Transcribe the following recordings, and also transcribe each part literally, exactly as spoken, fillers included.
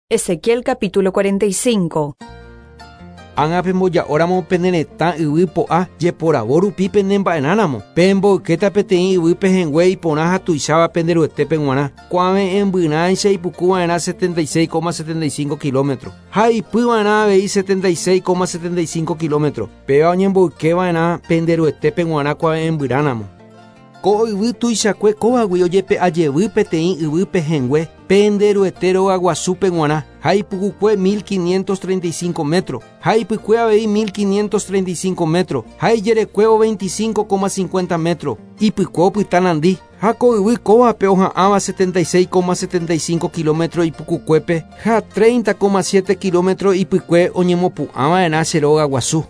Ezequiel capítulo cuarenta y cinco. Ág̃a pemboja'óramo pene retã yvy po'a jeporavo rupi pene mba'erãramo. Pemboykéta peteĩ yvy pehẽngue iporã ha tuicháva pende ruetépe g̃uarã. Kuave'ẽmbyrãicha ipukuva'erã setenta y seis coma setenta y cinco kilómetros. Ha ipyva'erã avei setenta y seis coma setenta y cinco kilómetros. Péva oñemboykeva'erã pende ruetépe g̃uarã kuave'ẽmbyrãramo. Ko yvy tuichakue kóvagui ojepe'ajevy peteĩ yvy pehẽngue pende ruete rogaguasúpe g̃uarã. Ha ipukukue mil quinientos treinta y cinco metros. Ha ipykue avei mil quinientos treinta y cinco metros. Ha ijerekuévo veinticinco coma cincuenta metros. Ipykue opyta nandi. Ha ko yvy kóvape oha'ãva setenta y seis coma setenta y cinco kilómetros ipukukuépe ha treinta coma siete kilómetros ipykue oñemopu'ãva'erã che rogaguasu.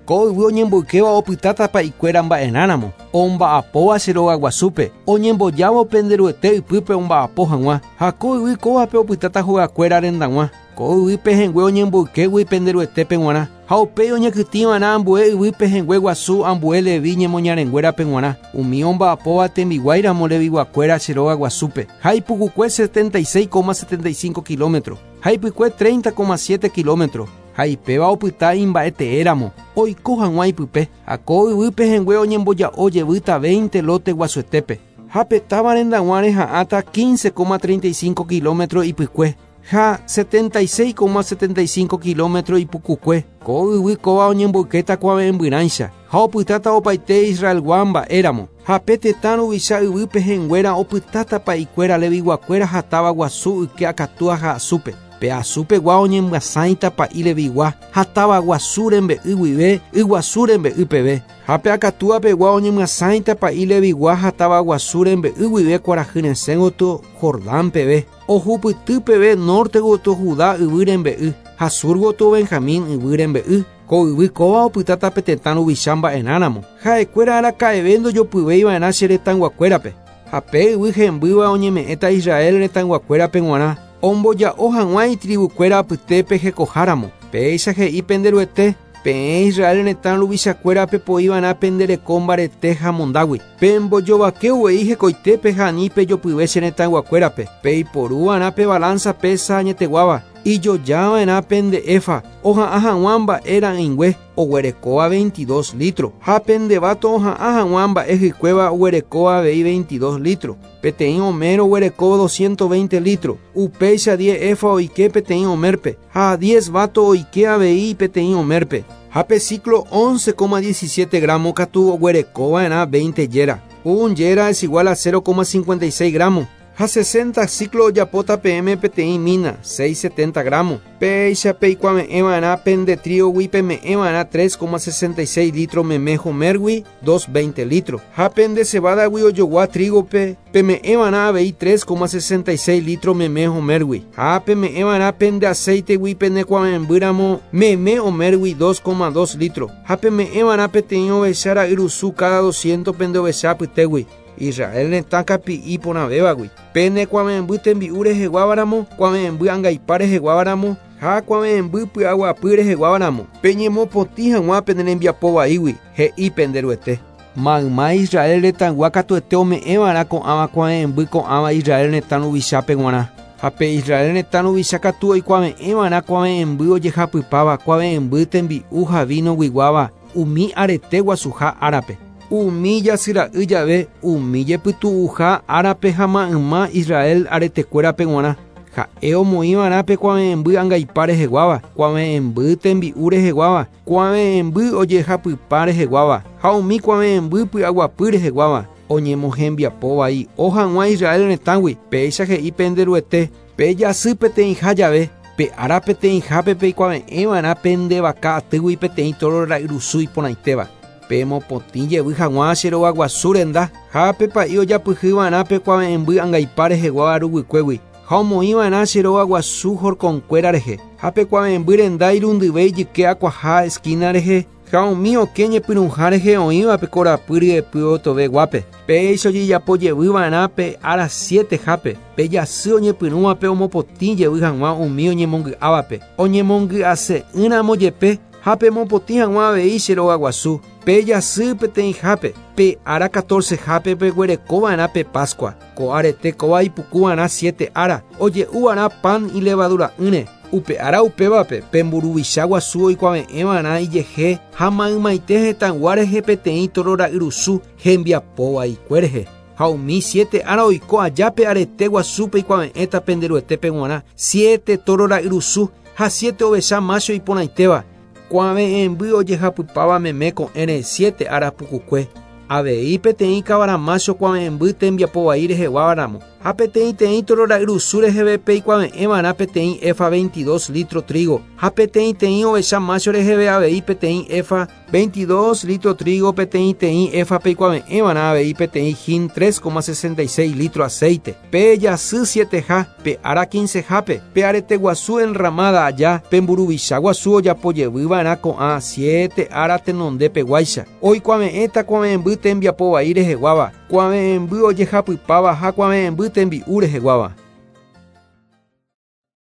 Ko yvy oñemboykéva opytáta pa'ikuéra mba'erãramo. Omba'apóva che rogaguasúpe, oñembojávo pende ruete ypýpe omba'apo hag̃ua. Ha ko yvy kóvape opytáta hogakuéra rendag̃ua. Ko yvy pehẽngue oñemboykégui pende ruetépe g̃uarã. Ha upéi oñekytĩva'erã ambue yvy pehẽngue guasu ambue Levi ñemoñarenguérape g̃uarã. Umi omba'apóva tembiguáiramo leviguakuéra che rogaguasúpe. Ha ipukukue setenta y seis coma setenta y cinco kilómetros. Ha ipykue treinta coma siete kilómetros. Ha ipéva opyta imba'eteéramo oiko hag̃ua ipype. Ha ko yvy pehẽngue oñemboja'o jevýta veinte lote guasuetépe. Ha petáva rendag̃ua reha'ãta quince coma treinta y cinco kilómetros ipykue. Ha setenta y seis coma setenta y cinco kilómetros ipukukue. Ko yvy kóva oñemboykéta kuave'ẽmbyrãicha. Ha opytáta opaite Israelgua mba'éramo. Ha pe tetã ruvicha yvy pehẽnguéra opytáta pa'ikuéra leviguakuéra ha táva guasu yke akatúa ha asúpe. Pe asúpegua oñemyasãita pa'i levigua ha táva guasu rembe'y guive yguasu rembe'y peve. Ha pe akatúapegua oñemyasãita pa'i levigua ha táva guasu rembe'y guive kuarahy resẽ gotyo Jordán peve. Ohupyty peve norte gotyo Judá yvy rembe'y ha sur gotyo Benjamín yvy rembe'y. Ko yvy kóva opytáta pe tetã ruvicha mba'erãramo. Ha'ekuéra araka'eve ndojopyvéiva'erã che retãyguakuérape. Ha pe yvy hembýva oñeme'ẽta Israel retãyguakuérape g̃uarã. Omboja'o hag̃ua itribukuéra apytépe hekoháramo. Péicha he'i pende ruete, peẽ Israel retã ruvichakuérape poiva'erã pende reko mbarete ha mondágui. Pembojovake uvei hekoitépe ha ani pejopyve che retãyguakuérape. Peiporuva'erã pe balanza pesa añeteguáva. Ijojava'erã pende efa oha'ã hag̃ua mba'e ra'ỹingue oguerekóva veintidós litros. Ha pende vato oha'ã hag̃ua mba'e hykuéva oguerekóva avei veintidós litros. Peteĩ homer oguereko doscientos veinte litros. Upéicha diez efa oike peteĩ homérpe. Ha diez vato oike avei peteĩ homérpe. Ha pe ciclo once coma diecisiete gramos katu oguerekova'erã veinte yera. Un yera es igual a cero coma cincuenta y seis gramos. Ha sesenta ciclo ojapóta peẽme peteĩ mina, seis setenta gramos. Péicha peikuave'ẽva'erã pende tríogui peme'ẽva'erã tres coma sesenta y seis litros meme homérgui, dos veinte litros. Ha pende cebadagui ojogua trígope peme'ẽva'erã avei tres coma sesenta y seis litros meme homérgui. Ha peme'ẽva'erã pende aceitegui penekuave'ẽmbýramo meme homérgui dos coma dos litros. Ha peme'ẽva'erã peteĩ ovecha ra'yrusu cada doscientos pende ovecha apytégui. Israel retã kapi'i porãvévagui. Pene kuave'ẽmby tembi'u reheguávaramo, kuave'ẽmby angaipa reheguávaramo, ha kuave'ẽmby py'aguapy reheguávaramo. Peñemopotĩ hag̃ua pene rembiapo vaígui, he'i pende ruete. Mayma Israel retãygua katuete ome'ẽva'erã ko'ãva kuave'ẽmby ko'ãva Israel retã ruvichápe g̃uarã. Ha pe Israel retã ruvicha katu oikuave'ẽva'erã kuave'ẽmby ojehapypáva, kuave'ẽmby tembi'u ha vino guiguáva umi arete guasuha árape. Umi jasyra'y jave, umi jepytu'uha árape ha mayma Israel aretekuérape g̃uarã. Ha'e omoĩva'erã pe kuave'ẽmby angaipa reheguáva, kuave'ẽmby tembi'u reheguáva, kuave'ẽmby ojehapypa reheguáva, ha umi kuave'ẽmby py'aguapy reheguáva. Oñemohembiapo vai ohag̃ua Israel retãgui. Péicha he'i pende ruete, pe jasy peteĩha jave, pe ára peteĩhápe peikuave'ẽva'erã pende vaka atýgui peteĩ toro ra'yrusu iporãitéva. Pemopotĩ jevy hag̃ua che rogaguasu renda, ha pe pa'i ojapyhyva'erã pe kuave'ẽmby angaipa reheguáva ruguykuégui. Ha omoĩva'erã che rogaguasu horconkuéra rehe. Ha pe kuave'ẽmby renda irundyve ijyke akuaha esquina rehe, ha umi okẽ ñepyrũha rehe oĩva pe korapy ryepy otoveguápe. Péicha ojejapo jevyva'erã pe ára sietehápe, pe jasy oñepyrũvape omopotĩ jevy hag̃ua umi oñemongy'ávape. Oñemongy'ase'ỹramo jepe Ha pemopotĩ hag̃ua avei che rogaguasu. Pe jasy peteĩhápe, pe ára catorcehápe peguerekova'erã pe Pascua. Ko arete kóva ipukuva'erã siete ára, oje'uva'erã pan ilevadura'ỹre. Upe ára upévape pe mburuvicha guasu oikuave'ẽva'erã ijehe ha maymaite hetãygua rehe peteĩ toro ra'yrusu hembiapovaikue rehe. Ha umi siete ára oiko aja pe arete guasúpe ikuave'ẽta pende Ruetépe g̃uarã siete toro ra'yrusu ha siete ovecha macho iporãitéva. Kuave'ẽmby ojehapypáva meme ko'ẽre siete ára pukukue. Avei peteĩ kavara macho kuave'ẽmby tembiapovai reheguávaramo. Ha peteĩteĩ toro ra'yrusu reheve peikuave'ẽva'erã peteĩ efa veintidós litro trigo. Ha peteĩteĩ ovecha macho reheve avei peteĩ efa veintidós litro trigo, peteĩteĩ efa peikuave'ẽva'erã avei peteĩ hin tres coma sesenta y seis litro aceite. Pe jasy sieteha, pe ára quincehápe, pe arete guasu enramada aja, pe mburuvicha guasu ojapojevyva'erã ko'ã siete ára tenondepeguáicha. Oikuave'ẽta kuave'ẽmby tembiapovai reheguáva, kuave'ẽmby ojehapypáva ha kuave'ẽmby tembi'u reheguáva.